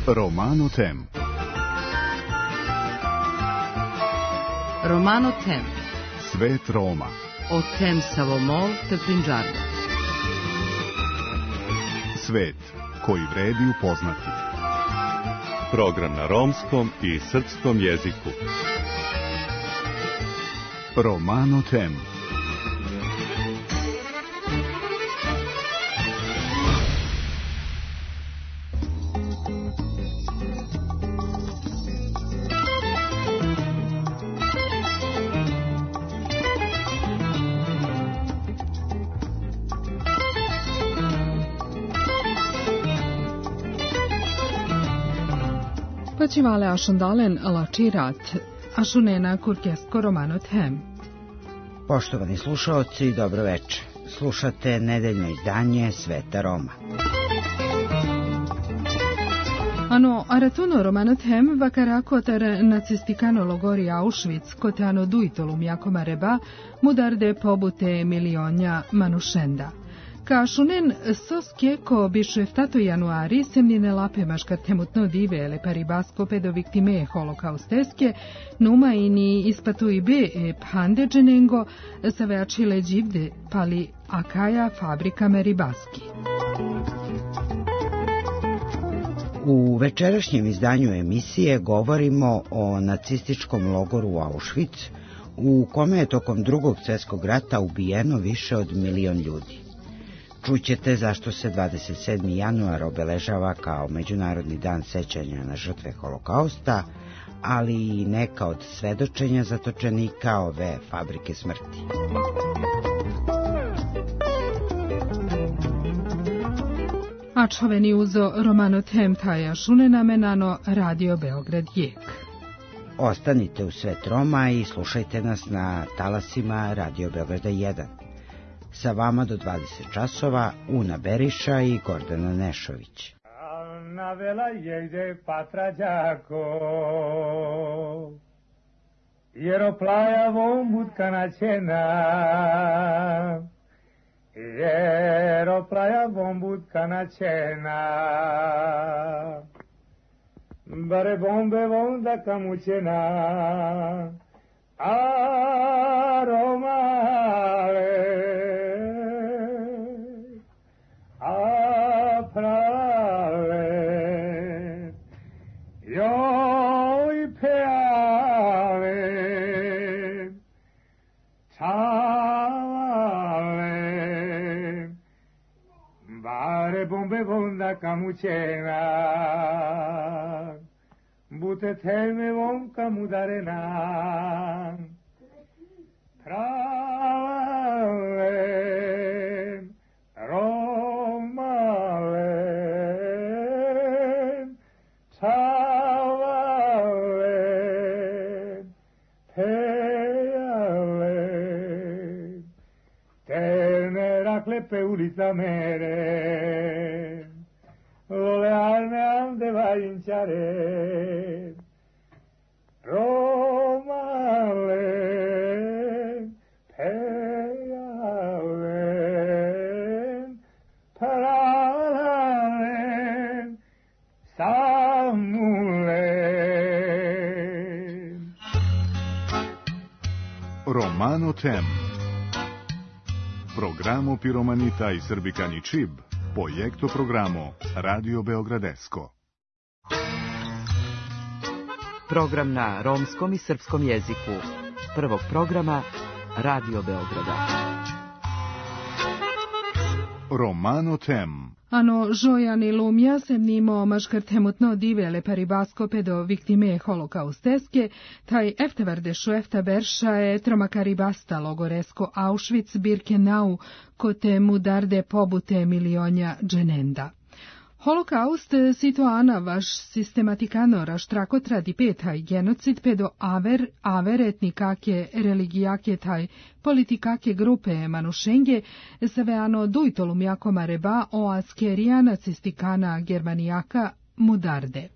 Romano Tem. Romano Tem. Svet Roma. O Tem Savomol te Prinđarda. Svet koji vredi upoznati. Program na romskom i srpskom jeziku. Romano Tem. Počivale ašundalen lačirat, ašunena kurkesko Romano Tem. Poštovani slušaoci, dobro večer. Slušate nedeljno izdanje Sveta Roma. Ano aratuno Romano Tem vakarakotar nacistikano logori Auschwitz kotano duitolum jakoma reba mudarde pobute milionja manušenda. Kašunen soske ko bišeftato januari semnine lape maškar temutno dive le paribasko pedo viktime holokausteske numa ini ispatu ibe phande dženengo saveačile dživde pali akaja fabrika meribaski. U večerašnjem izdanju emisije govorimo o nacističkom logoru Auschwitz, u kome je tokom Drugog svjetskog rata ubijeno više od 1 milion ljudi. Čućete zašto se 27. januar obeležava kao Međunarodni dan sećanja na žrtve holokausta, ali i neka od svedočenja zatočenika ove fabrike smrti. A čoveni uzo Romano Tem taja šunena menano Radio Beograd Jek. Ostanite u Svet Roma i slušajte nas na talasima Radio Beograda 1. Sa vama do 20 časova Una Beriša i Gordana Nešović. Navela jegde patrađako, jer oplaja vombutka naćena, jer oplaja vombutka naćena. Bare bombe vonda kamućena, a Romale, prale, joj peale, čavale, bare bombe vonda kamućena, bute teme von kamudarena, prale, pe ulica mere, lolearne ande va inciare, Romale, peale, parale, samule. Romano Tem. Programo Piromanita i Srbikani Čib, projekto programo Radio Beogradesko. Program na romskom i srpskom jeziku. Prvog programa Radio Beograda. Romano Tem. Ano žojan i lumja se mnimo maškar temutno divele paribasko pedo viktime holokausteske, taj eftevarde šuefta berša je tromakaribasta logoresko Auschwitz Birkenau kote mudarde pobute milionja dženenda. Holokaust situana vaš sistematikano raštrakotra dipeta i genocid pedo aver etnikake religijake taj politikake grupe manušenge saveano dujtolum jakoma reba o askerija nacistikana germanijaka mudarde.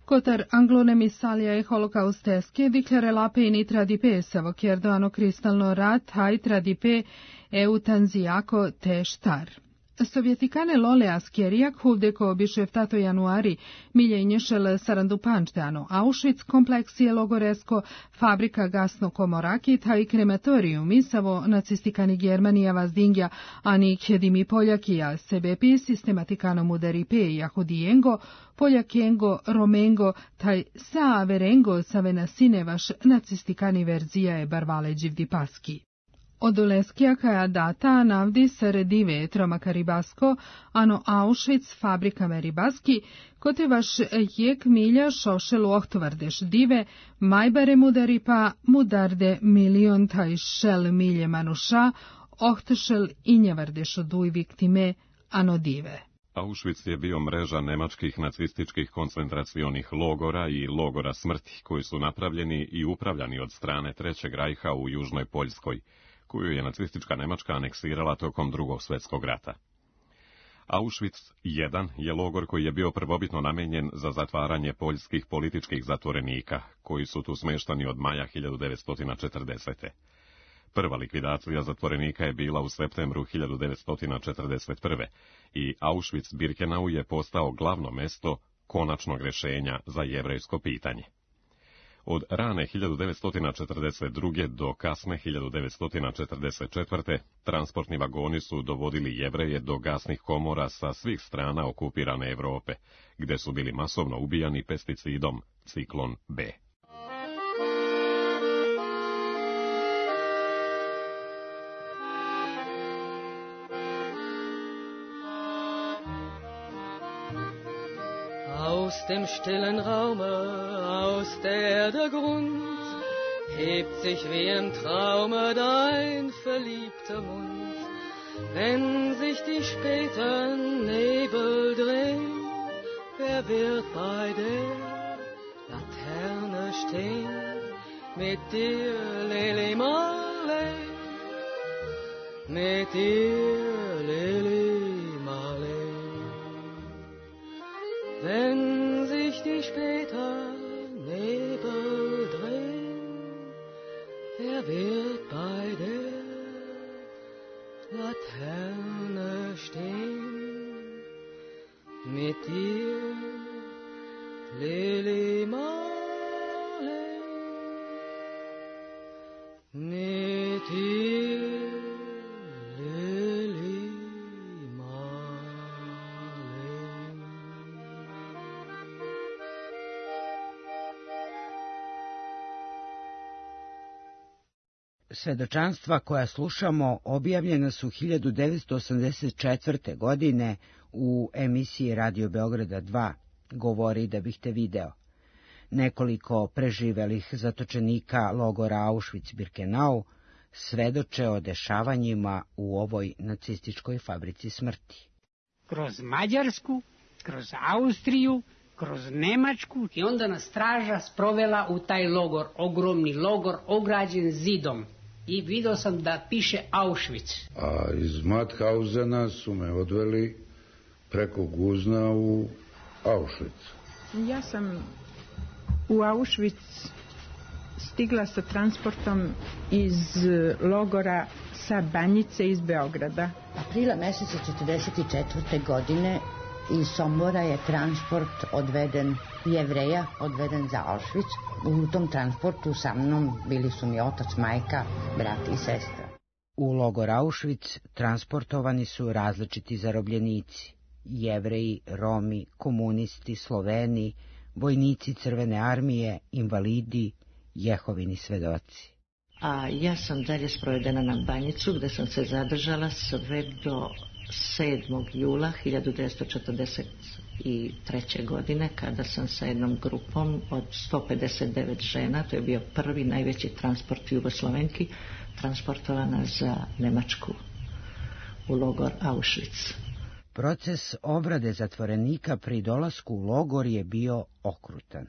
Kotar anglonemissalija e holokausteske diklare lape i nitra di pe savo kjerdoano kristalno rat hajtra di pe eutanzijako te štar. Sovjetikane lolea skjerijak huvdeko bišeftato januari miljenješel sarandupančteano Auschwitz kompleksije logoresko fabrika gasno komorakit ha i krematorium savo nacistikani Germanija vazdingja ani kjedimi Poljakija sebepi sistematikano mudari pe jahudijengo Poljakengo romengo taj saaverengo savenasinevaš nacistikani verzija je barvale dživdipaski. Odoleskija kaja data navdi sredive tromaka ribasko, ano Auschwitz fabrika ribaski, kote vaš jek milja šošelu ohtuvardeš dive, majbare mudari pa mudarde milion taj šel milje manuša, ohtešel injavardeš oduj viktime, ano dive. Auschwitz je bio mreža nemačkih nacističkih koncentracionih logora i logora smrti, koji su napravljeni i upravljani od strane Trećeg rajha u Južnoj Poljskoj, koju je nacistička Nemačka aneksirala tokom Drugog svjetskog rata. Auschwitz I je logor koji je bio prvobitno namijenjen za zatvaranje poljskih političkih zatvorenika, koji su tu smeštani od maja 1940. Prva likvidacija zatvorenika je bila u septembru 1941. i Auschwitz-Birkenau je postao glavno mesto konačnog rješenja za jevrejsko pitanje. Od rane 1942. do kasne 1944. transportni vagoni su dovodili Jevreje do gasnih komora sa svih strana okupirane Europe, gdje su bili masovno ubijani pesticidom ciklon B. Aus dem stillen Raume, aus der Erde Grund, hebt sich wie im Traume dein verliebter Mund. Wenn sich die späten Nebel drehen, wer wird bei der Laterne stehen? Mit dir, Lili Marley, mit dir, Lili Marley. Wenn sich die später Nebel drehen, wer wird bei der Laterne stehen? Mit dir, Lili Marley, mit dir, Lili Svedočanstva koja slušamo objavljena su 1984. godine u emisiji Radio Beograda 2, Govori da bih te video. Nekoliko preživelih zatočenika logora Auschwitz-Birkenau svedoče o dešavanjima u ovoj nacističkoj fabrici smrti. Kroz Mađarsku, kroz Austriju, kroz Nemačku. I onda nas straža sprovela u taj logor, ogromni logor, ograđen zidom. I vidio sam da piše Auschwitz. A iz Mauthausena su me odveli preko Guzna u Auschwitz. Ja sam u Auschwitz stigla sa transportom iz logora sa Banjice iz Beograda. Aprila meseca 1944. godine iz Sombora je transport odveden, Jevreja odveden za Auschwitz. U tom transportu sa mnom bili su mi otac, majka, brat i sestra. U logor Auschwitz transportovani su različiti zarobljenici. Jevreji, Romi, komunisti, Sloveni, vojnici Crvene armije, invalidi, Jehovini svedoci. A ja sam dalje sprovedena na Banjicu, gde sam se zadržala sve do 7. jula 1943. godine, kada sam sa jednom grupom od 159 žena, to je bio prvi najveći transport Jugoslovenki, transportovana za Nemačku u logor Auschwitz. Proces obrade zatvorenika pri dolasku u logor je bio okrutan.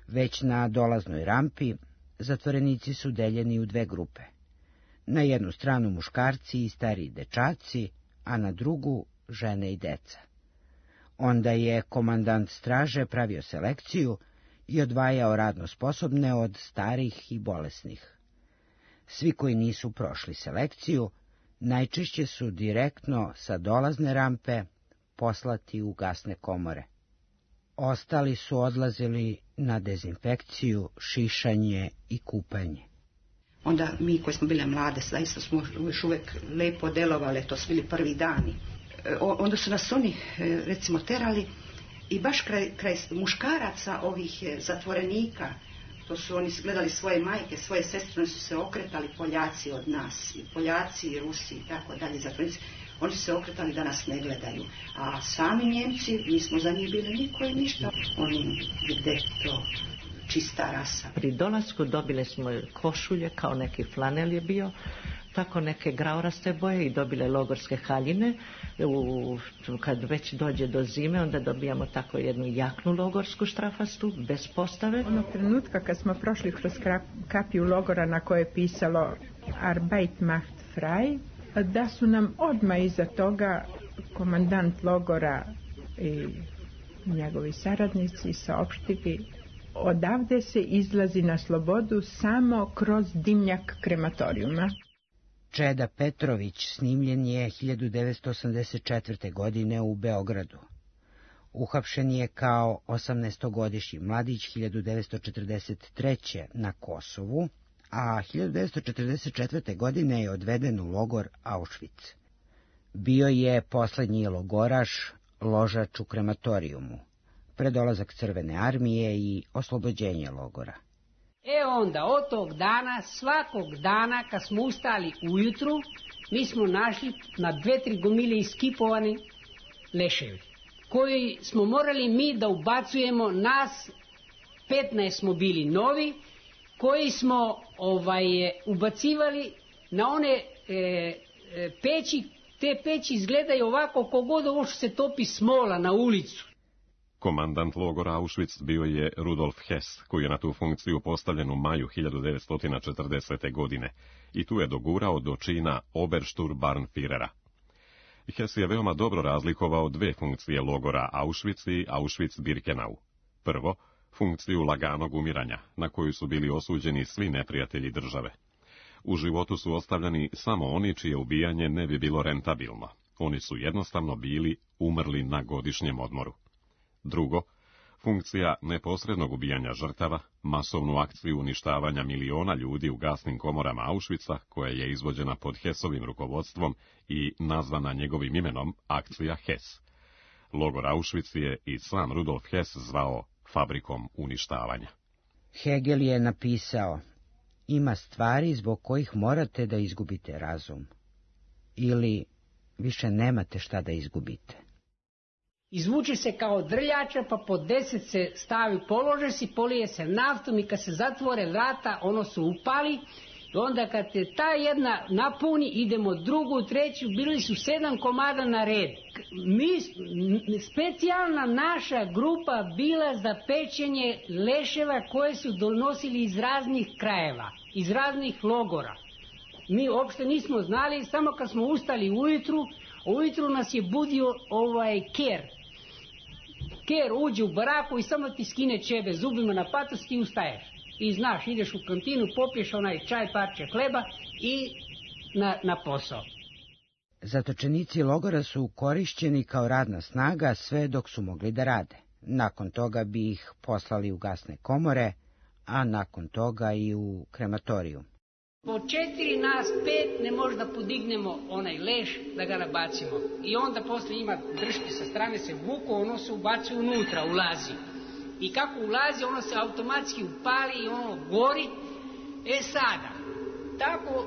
Već na dolaznoj rampi zatvorenici su deljeni u dve grupe. Na jednu stranu muškarci i stariji dečaci, a na drugu žene i deca. Onda je komandant straže pravio selekciju i odvajao radno sposobne od starih i bolesnih. Svi koji nisu prošli selekciju, najčešće su direktno sa dolazne rampe poslati u gasne komore. Ostali su odlazili na dezinfekciju, šišanje i kupanje. Onda mi koji smo bile mlade, zaista smo još uvijek lepo delovali, to su bili prvi dani. Onda su nas oni, recimo, terali i baš kraj muškaraca ovih zatvorenika, to su oni gledali svoje majke, svoje sestre, oni su se okretali, Poljaci od nas, Poljaci i Rusi i tako dalje, zatvorenici, oni su se okretali da nas ne gledaju. A sami Njemci, mi smo za njih bili niko i ništa, oni gde to čista rasa. Pri dolasku dobile smo košulje, kao neki flanel je bio, tako neke grauraste boje i dobile logorske haljine. Kad već dođe do zime, onda dobijamo tako jednu jaknu logorsku štrafastu, bez postave. Onog trenutka kad smo prošli kroz kapiju logora na kojoj je pisalo Arbeit macht frei, da su nam odmah iza toga komandant logora i njegovi saradnici saopštili: odavde se izlazi na slobodu samo kroz dimnjak krematorijuma. Čeda Petrović snimljen je 1984. godine u Beogradu. Uhapšen je kao 18-godišnji mladić 1943. na Kosovu, a 1944. godine je odveden u logor Auschwitz. Bio je poslednji logoraš, ložač u krematorijumu, predolazak Crvene armije i oslobođenje logora. Onda od tog dana, svakog dana kad smo ustali ujutru, mi smo našli na 2-3 gomile iskipovani leševi, koji smo morali mi da ubacujemo. Nas 15 smo bili novi, koji smo ubacivali na one peći. Te peći izgledaju ovako kogod ovo što se topi smola na ulicu. Komandant logora Auschwitz bio je Rudolf Hess, koji je na tu funkciju postavljen u maju 1940. godine i tu je dogurao do čina Obersturmbannführera. Hess je veoma dobro razlikovao dve funkcije logora Auschwitz i Auschwitz-Birkenau. Prvo, funkciju laganog umiranja, na koju su bili osuđeni svi neprijatelji države. U životu su ostavljani samo oni čije ubijanje ne bi bilo rentabilno. Oni su jednostavno bili umrli na godišnjem odmoru. Drugo, funkcija neposrednog ubijanja žrtava, masovnu akciju uništavanja miliona ljudi u gasnim komorama Auschwitza, koja je izvođena pod Hessovim rukovodstvom i nazvana njegovim imenom akcija Hess. Logor Auschwitz je i sam Rudolf Hess zvao fabrikom uništavanja. Hegel je napisao: ima stvari zbog kojih morate da izgubite razum, ili više nemate šta da izgubite. Izvuče se kao drljača, pa po 10 se stavi, polože se, polije se naftom i kad se zatvore vrata, ono se upali. I onda kad je ta jedna napuni, idemo drugu, treću, bili su 7 komada na red. Specijalna naša grupa bila za pečenje leševa koje su donosili iz raznih krajeva, iz raznih logora. Mi uopšte nismo znali, samo kad smo ustali ujutru nas je budio ker. Ker uđe u baraku i samo ti skine čebe zubima na patos, ti ustaješ. I znaš, ideš u kantinu, popiješ onaj čaj, parče hleba i na posao. Zatočenici logora su korišćeni kao radna snaga sve dok su mogli da rade. Nakon toga bi ih poslali u gasne komore, a nakon toga i u krematorijum. Po 4 nas 5 ne može da podignemo onaj leš da ga nabacimo. I onda posle ima drške sa strane, se vuku, ono se ubaci unutra, ulazi. I kako ulazi, ono se automatski upali i ono gori. Sada, tako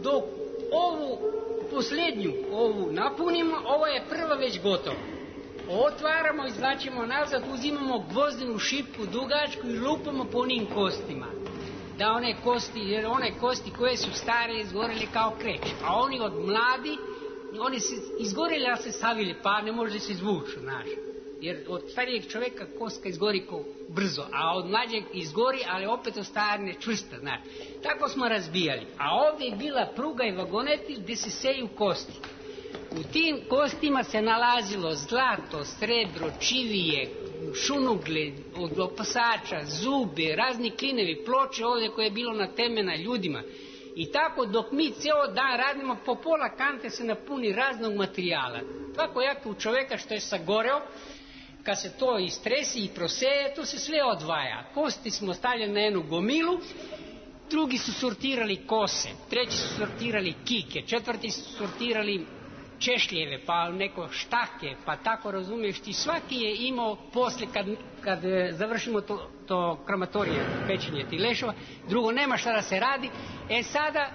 dok ovu posljednju, ovu napunimo, ovo je prva već gotova. Otvaramo, izvlačimo nazad, uzimamo gvozdenu šipku dugačku i lupamo po onim kostima. Da one kosti, jer one kosti koje su stare izgorele kao kreć, a oni od mladi, oni se izgorele, ali se stavili, pa ne može se izvući, znaš. Jer od starijeg čovjeka kostka izgori brzo, a od mlađeg izgori, ali opet ostane čvrsta, znaš. Tako smo razbijali. A ovdje je bila pruga i vagoneti gdje se seju kosti. U tim kostima se nalazilo zlato, srebro, čivije, šunugle od opasača, zube, razni klinevi, ploče ovdje koje je bilo na teme na ljudima. I tako dok mi cijelo dan radimo, po pola kante se napuni raznog materijala. Tako jako u čoveka što je sagoreo, kad se to istresi i proseje, to se sve odvaja. Kosti smo stavljali na jednu gomilu, drugi su sortirali kose, treći su sortirali kike, četvrti su sortirali češljeve, pa neko štake, pa tako razumiješ ti. Svaki je imao poslije kad završimo to krematorije, pečenje tih lešova, drugo nema šta da se radi. Sada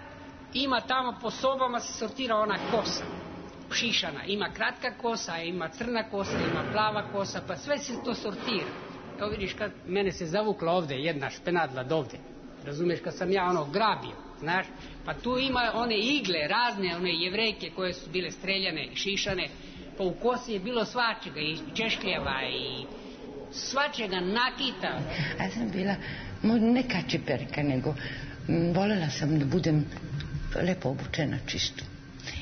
ima tamo po sobama se sortira ona kosa, šišana, ima kratka kosa, ima crna kosa, ima plava kosa, pa sve se to sortira. Evo vidiš kad mene se zavukla ovdje jedna špenadla dovde, razumiješ, kad sam ja grabio, znaš, pa tu ima one igle razne, one jevrejke koje su bile streljane i šišane, pa u kosi je bilo svačega, i češkljeva i svačega nakita. Ja sam bila ne kačiperka, nego voljela sam da budem lepo obučena čisto.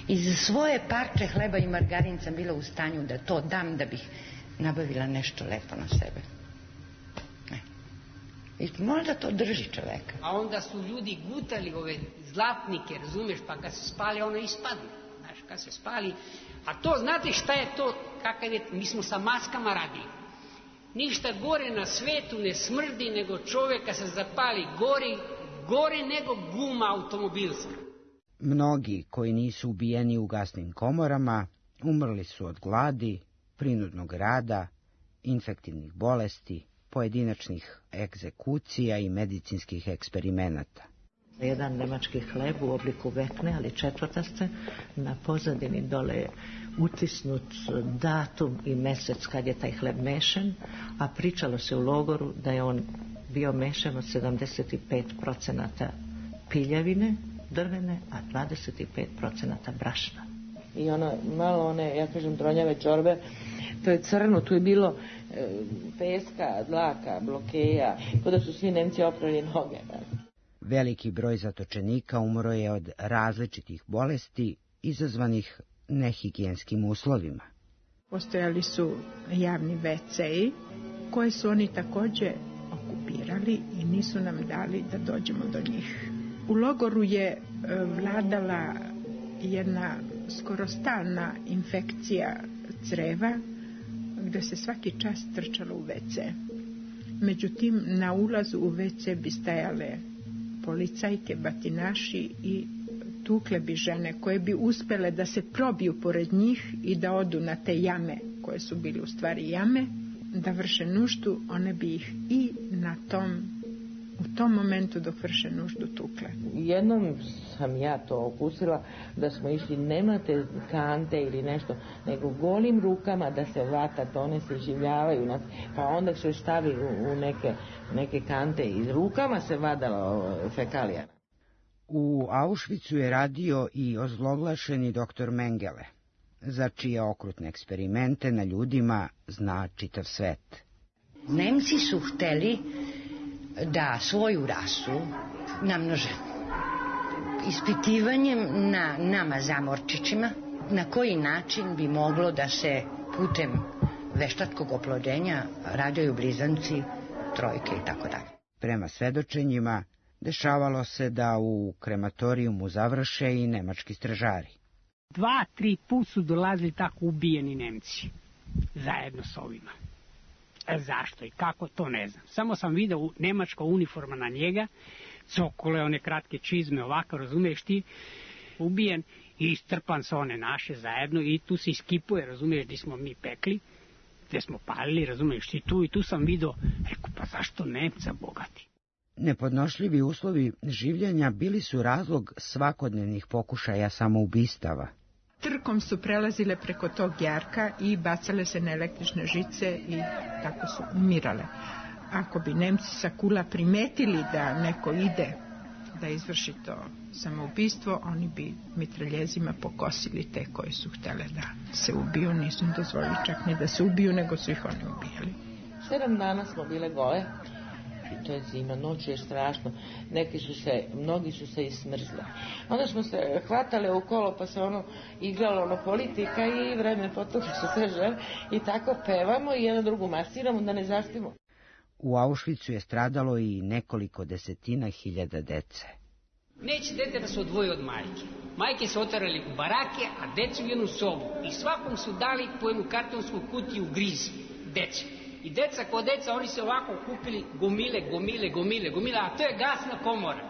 I za svoje parče hleba i margarin sam bila u stanju da to dam da bih nabavila nešto lepo na sebe. I možda to drži čoveka. A onda su ljudi gutali ove zlatnike, razumiješ, pa kad se spali ono ispadne. Znaš, kad se spali. A to, znate šta je to, kakav je, mi smo sa maskama radili. Ništa gore na svetu ne smrdi nego čovjeka se zapali gore nego guma automobilska. Mnogi koji nisu ubijeni u gasnim komorama umrli su od gladi, prinudnog rada, infektivnih bolesti, pojedinačnih egzekucija i medicinskih eksperimenata. Jedan nemački hleb u obliku vekne, ali četvrtaste, na pozadini dole je utisnut datum i mjesec kad je taj hleb mešan, a pričalo se u logoru da je on bio mešan od 75% piljevine drvene, a 25% brašna. I malo one, ja kažem, tronjave čorbe, to je crno, tu je bilo peska, dlaka, blokeja, kao da su svi Nemci oprali noge. Veliki broj zatočenika umro je od različitih bolesti izazvanih nehigijenskim uslovima. Postojali su javni WC-i koje su oni također okupirali i nisu nam dali da dođemo do njih. U logoru je vladala jedna skoro stalna infekcija creva gdje se svaki čas trčalo u WC. Međutim, na ulazu u WC bi stajale policajke, batinaši i tukle bi žene koje bi uspjele da se probiju pored njih i da odu na te jame koje su bili u stvari jame, da vrše nuždu, one bi ih i u tom momentu dok vrše nuždu tukle. Jednom sam ja to okusila da smo išli, nemate kante ili nešto, nego golim rukama da se vatat, one se življavaju, pa onda se stavi u neke kante i rukama se vadala fekalija. U Auschwitzu je radio i ozloglašeni doktor Mengele, za čije okrutne eksperimente na ljudima zna čitav svet. Nemci su hteli da svoju rasu namnože ispitivanjem na nama zamorčićima, na koji način bi moglo da se putem veštačkog oplođenja rađaju blizanci, trojke i tako dalje. Prema svedočenjima, dešavalo se da u krematorijumu završe i nemački stražari. 2-3 put su dolazili tako ubijeni Nemci, zajedno s ovima. Zašto i kako, to ne znam. Samo sam vidio nemačka uniforma na njega, cokole, one kratke čizme, ovako, razumiješ ti, ubijen i istrpan sa one naše zajedno i tu se iskipuje, razumiješ, gdje smo mi pekli, gdje smo palili, razumiješ ti, tu i tu sam vidio, rekao, pa zašto Nemca bogati? Nepodnošljivi uslovi življenja bili su razlog svakodnevnih pokušaja samoubistava. Trkom su prelazile preko tog jarka i bacale se na električne žice i tako su umirale. Ako bi Nemci sa kula primetili da neko ide da izvrši to samoubistvo, oni bi mitraljezima pokosili te koji su htjele da se ubiju. Nisu im dozvolili čak ni da se ubiju, nego su ih oni ubijali. 7 dana smo bile gole i to je zima, noć je strašno, mnogi su se i smrzli. Onda smo se hvatale u kolo pa se igralo politika i vreme potom što se žele i tako pevamo i jedan drugu masiramo da ne zaspimo. U Auschwitzu je stradalo i nekoliko desetina hiljada dece. Neće dete da se odvoje od majke. Majke su oterali u barake, a decu u jednu sobu. I svakom su dali po jednu kartonsku kutiju griz dece. I deca ko deca, oni se ovako kupili gomile, a to je gasna komora.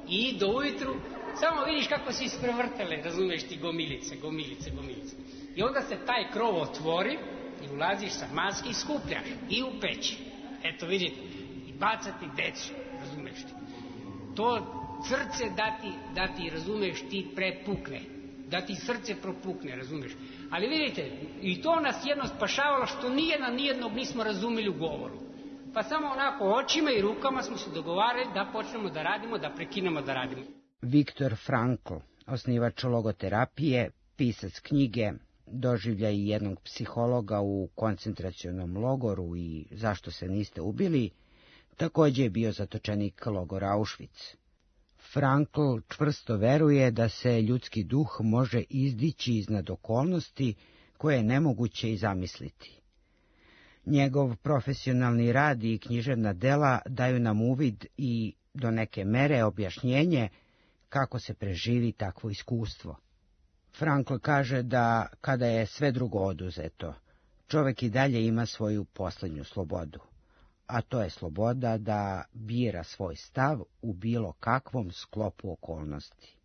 I do ujutru, samo vidiš kako se isprevrtale, razumeš ti, gomilice. I onda se taj krov otvori i ulaziš sa maske i skupljaš. I u peći. Eto vidite, i bacati decu, razumeš ti. To srce da ti, razumeš, ti prepukne, da ti srce propukne, razumeš. Ali vidite, i to nas jedno spašavalo što nijednog nismo razumeli u govoru. Pa samo onako očima i rukama smo se dogovarali da počnemo da radimo, da prekinemo da radimo. Viktor Frankl, osnivač logoterapije, pisac knjige Doživljaj jednog psihologa u koncentracionom logoru i Zašto se niste ubili, također je bio zatočenik logora Auschwitz. Frankl čvrsto veruje da se ljudski duh može izdići iznad okolnosti koje je nemoguće i zamisliti. Njegov profesionalni rad i književna dela daju nam uvid i do neke mere objašnjenje kako se preživi takvo iskustvo. Frankl kaže da kada je sve drugo oduzeto, čovjek i dalje ima svoju posljednju slobodu, a to je sloboda da bira svoj stav u bilo kakvom sklopu okolnosti.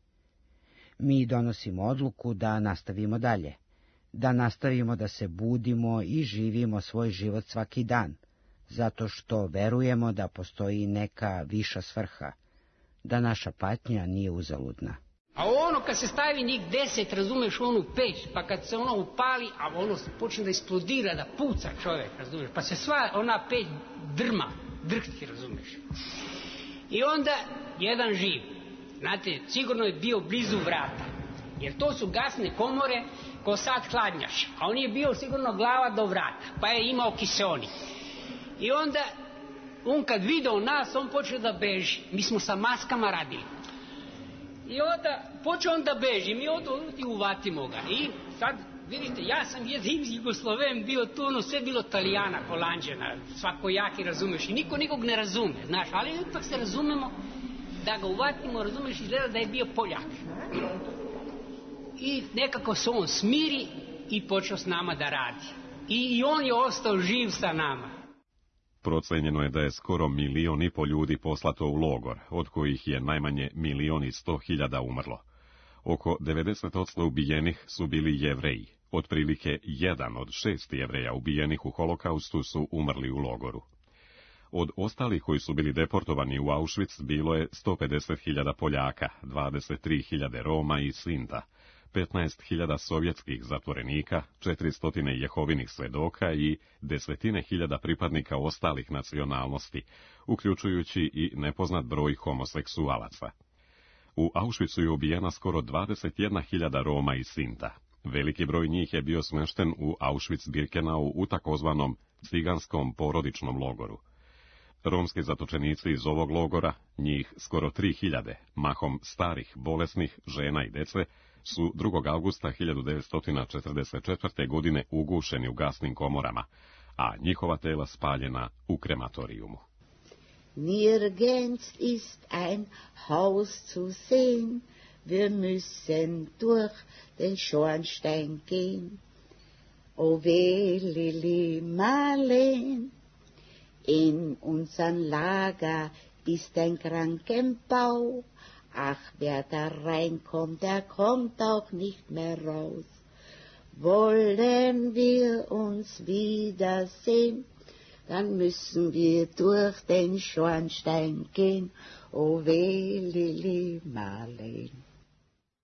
Mi donosimo odluku da nastavimo dalje, da nastavimo da se budimo i živimo svoj život svaki dan, zato što verujemo da postoji neka viša svrha, da naša patnja nije uzaludna. A kad se stavi njih 10, razumeš, onu peć, pa kad se upali, a počne da eksplodira, da puca čovjek, razumeš, pa se sva ona peć drhti, razumeš. I onda jedan živ, znate, sigurno je bio blizu vrata, jer to su gasne komore ko sad hladnjaš, a on je bio sigurno glava do vrata, pa je imao kiseonik. I onda, on kad video nas, on počeo da beži, mi smo sa maskama radili. I onda počeo on da beži, mi i uvatimo ga. I sad, vidite, ja sam jedin Jugosloven bio tu, sve bilo Italijana, Holanđana, svakojaki, razumeš, i niko nikog ne razume, znaš, ali ipak se razumemo da ga uvatimo, razumeš, izgleda da je bio Poljak. I nekako se on smiri i počeo s nama da radi. I on je ostao živ sa nama. Procenjeno je da je skoro 1,5 miliona ljudi poslato u logor, od kojih je najmanje 1.100.000 umrlo. Oko 90% ubijenih su bili Jevreji. Otprilike 1 od 6 Jevreja ubijenih u holokaustu su umrli u logoru. Od ostalih koji su bili deportovani u Auschwitz bilo je 150.000 Poljaka, 23.000 Roma i Sinta, 15.000 sovjetskih zatvorenika, 400 Jehovinih svedoka i desetine hiljada pripadnika ostalih nacionalnosti, uključujući i nepoznat broj homoseksualaca. U Auschwitzu je ubijena skoro 21.000 Roma i Sinta. Veliki broj njih je bio smješten u Auschwitz-Birkenau u takozvanom ciganskom porodičnom logoru. Romski zatočenici iz ovog logora, njih skoro 3.000, mahom starih, bolesnih, žena i dece, su 2. augusta 1944. godine ugušeni u gasnim komorama, a njihova tela spaljena u krematorijumu. Nirgends ist ein Haus zu sehen, wir müssen durch den Schornstein gehen. O weh, Lili Marleen, in unseren Lager ist ein Krankenbau. Ach, wer da reinkommt, der kommt auch nicht mehr raus. Wollen wir uns wiedersehen, dann müssen wir durch den Schornstein gehen. O weh, Lili Marleen.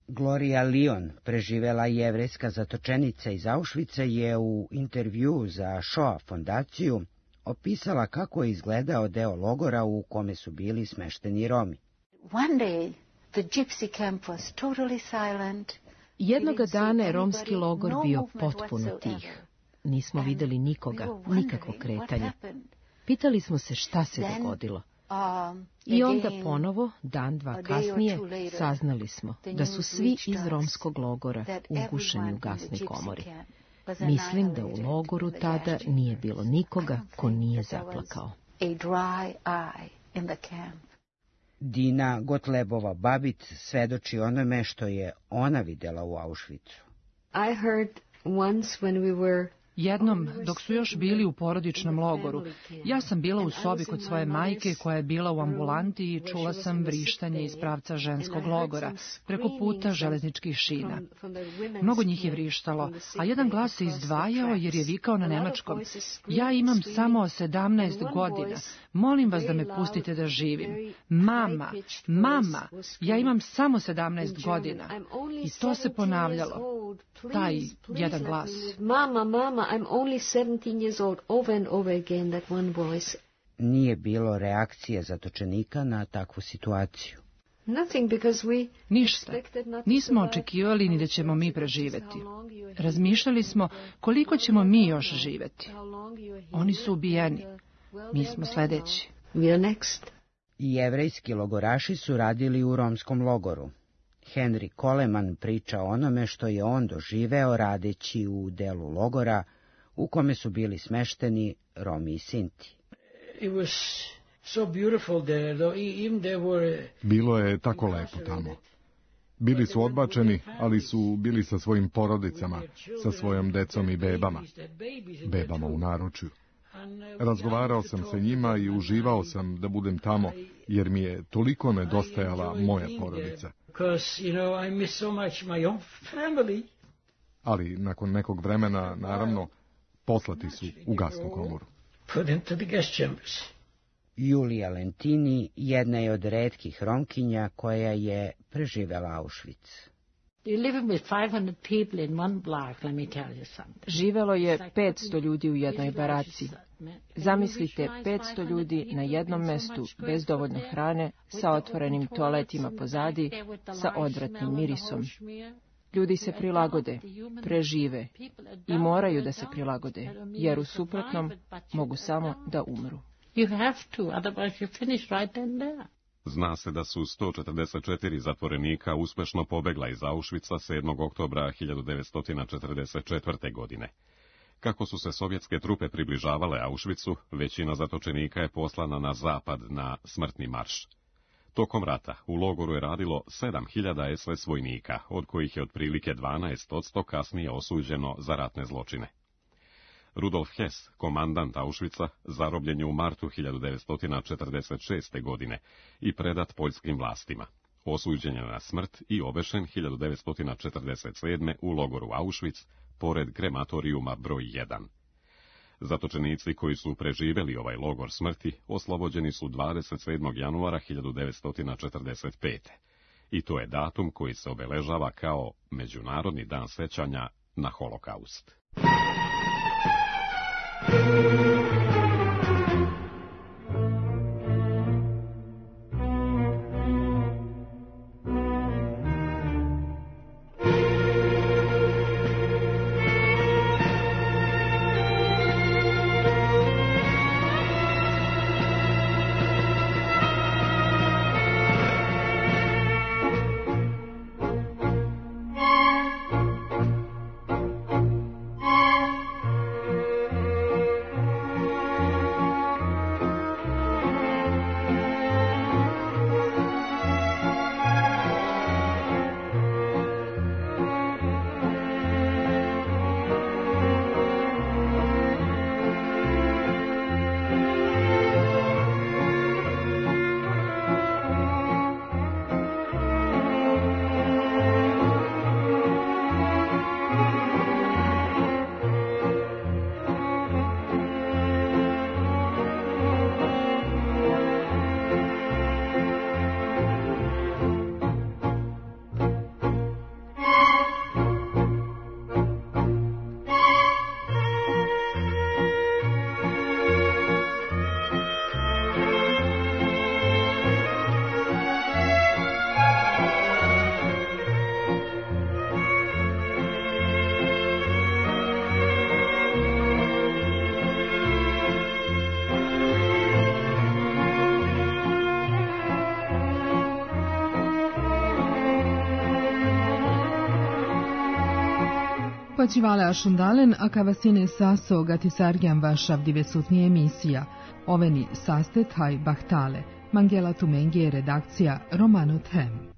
Gloria Lyon, preživela jevrejska zatočenica iz Auschwitza, je u intervju za Shoah fondaciju opisala kako je izgledao deo logora u kome su bili smešteni Romi. One day, the gypsy camp was totally silent. Jednoga dana je romski logor bio potpuno tih. Nismo vidjeli nikoga, nikakvo kretanje. Pitali smo se šta se dogodilo. I onda ponovo, dan, dva kasnije, saznali smo da su svi iz romskog logora ugušeni u gasnoj komori. Mislim da u logoru tada nije bilo nikoga ko nije zaplakao. Dina Gotlebova Babit svedoči onome što je ona videla u Auschwitzu. Jednom, dok su još bili u porodičnom logoru, ja sam bila u sobi kod svoje majke koja je bila u ambulanti i čula sam vrištanje iz pravca ženskog logora, preko puta železničkih šina. Mnogo njih je vrištalo, a jedan glas se izdvajao jer je vikao na nemačkom: ja imam samo 17 godina, molim vas da me pustite da živim. Mama, mama, ja imam samo 17 godina. I to se ponavljalo, taj jedan glas. Mama, mama, I'm only 17 years old, over and over again, that one voice. Nije bilo reakcije zatočenika na takvu situaciju. Ništa. Nismo očekivali ni da ćemo mi preživeti. Razmišljali smo koliko ćemo mi još živeti. Oni su ubijeni. Mi smo sledeći. I jevrejski logoraši su radili u romskom logoru. Henry Coleman priča o onome što je on doživeo radeći u delu logora u kome su bili smešteni Romi i Sinti. Bilo je tako lepo tamo. Bili su odbačeni, ali su bili sa svojim porodicama, sa svojom decom i bebama. Bebama u naručju. Razgovarao sam sa njima i uživao sam da budem tamo, jer mi je toliko nedostajala moja porodica. Ali nakon nekog vremena, naravno, poslati su u gasnu komoru. Julija Lentini jedna je od retkih Romkinja koja je preživela Auschwitz. Živelo je 500 ljudi u jednoj baraci. Zamislite 500 ljudi na jednom mestu bez dovoljno hrane, sa otvorenim toaletima pozadi, sa odvratnim mirisom. Ljudi se prilagode, prežive i moraju da se prilagode, jer u suprotnom mogu samo da umru. Zna se da su 144 zatvorenika uspešno pobegla iz Auschwitza 7. oktobra 1944. godine. Kako su se sovjetske trupe približavale Auschwitzu, većina zatočenika je poslana na zapad na smrtni marš. Tokom rata u logoru je radilo 7000 SS vojnika, od kojih je otprilike 12% kasnije osuđeno za ratne zločine. Rudolf Hess, komandant Auschwitza, zarobljen je u martu 1946. godine i predat poljskim vlastima. Osuđen je na smrt i obešen 1947. u logoru Auschwitz, pored krematorijuma broj 1. Zatočenici koji su preživeli ovaj logor smrti oslobođeni su 27. januara 1945. I to je datum koji se obeležava kao Međunarodni dan sećanja na Holokaust. Pačivale Ašundalen, a kavasine saso gatisargiam vašav divesutni emisija. Oveni sastet haj bahtale. Mangela Tumengi je redakcija Romano Them.